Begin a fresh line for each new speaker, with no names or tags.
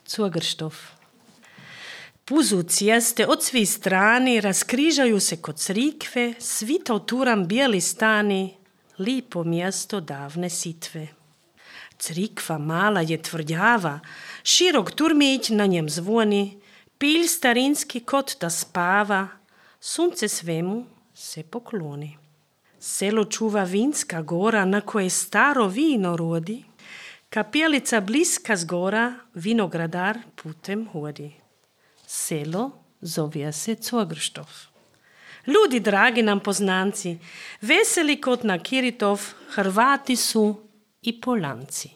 Cugrštov. Puzu cjeste od svih strani raskrižaju se kod crikve, svita turam bijeli stani, lipo mjesto davne sitve. Crikva mala je tvrdjava, širok turmić na njem zvoni, pilj starinski kot da spava, sunce svemu se pokloni. Selo čuva vinska gora na koje staro vino rodi, kapelica bliska zgora, vinogradar putem hodi. Selo zove se Cugrštov. Ljudi dragi nam poznanci, veseli kot na Kiritov, Hrvati su i Polanci.